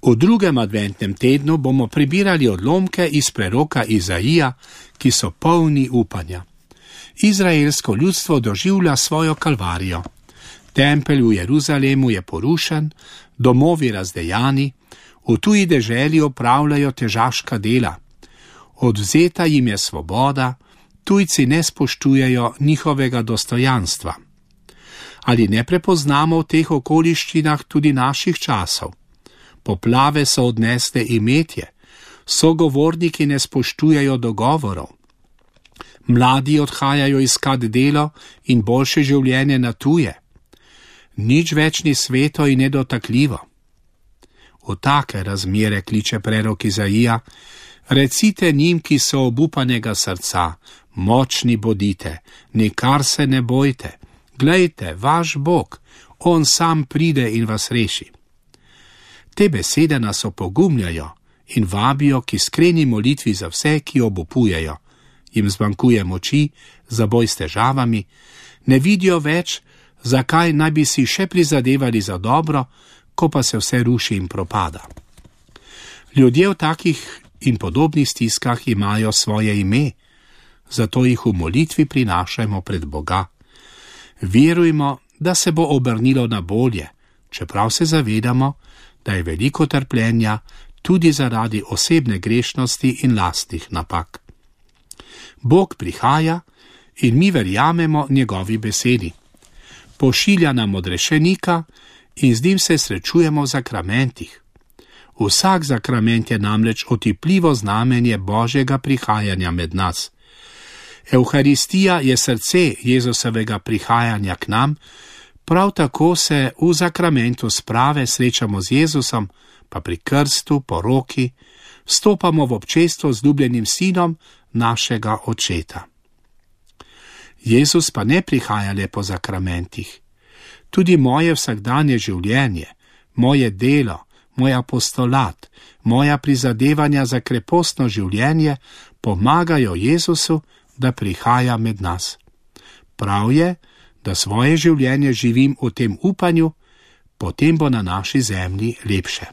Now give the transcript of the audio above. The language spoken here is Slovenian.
V drugem adventnem tednu bomo prebirali odlomke iz preroka Izaija, ki so polni upanja. Izraelsko ljudstvo doživlja svojo kalvarijo. Tempelj v Jeruzalemu je porušen, domovi razdejani, v tuji deželi opravljajo težaška dela. Odvzeta jim je svoboda, tujci ne spoštujejo njihovega dostojanstva. Ali ne prepoznamo v teh okoliščinah tudi naših časov? Poplave so odnesle imetje, sogovorniki ne spoštujejo dogovorov. Mladi odhajajo iskat delo in boljše življenje na tuje. Nič več ni sveto in nedotakljivo. V take razmere kliče prerok Izaija: recite njim, ki so obupanega srca, močni bodite, nikar se ne bojte. Glejte, vaš Bog, on sam pride in vas reši. Te besede nas opogumljajo in vabijo k iskreni molitvi za vse, ki obupujejo. Jim zmanjkuje moči za boj s težavami, ne vidijo več, zakaj naj bi si še prizadevali za dobro, ko pa se vse ruši in propada. Ljudje v takih in podobnih stiskah imajo svoje ime, zato jih v molitvi prinašajmo pred Boga. Verujmo, da se bo obrnilo na bolje, čeprav se zavedamo, da je veliko trpljenja tudi zaradi osebne grešnosti in lastnih napak. Bog prihaja in mi verjamemo njegovi besedi. Pošilja nam odrešenika in z njim se srečujemo v zakramentih. Vsak zakrament je namreč otipljivo znamenje Božjega prihajanja med nas. Evharistija je srce Jezusovega prihajanja k nam, prav tako se v zakramentu sprave srečamo z Jezusom, pa pri krstu, poroki, vstopamo v občestvo z ljubljenim sinom našega Očeta. Jezus pa ne prihaja le po zakramentih. Tudi moje vsakdanje življenje, moje delo, moj apostolat, moja prizadevanja za krepostno življenje pomagajo Jezusu, da prihaja med nas. Prav je, da svoje življenje živim v tem upanju, potem bo na naši zemlji lepše.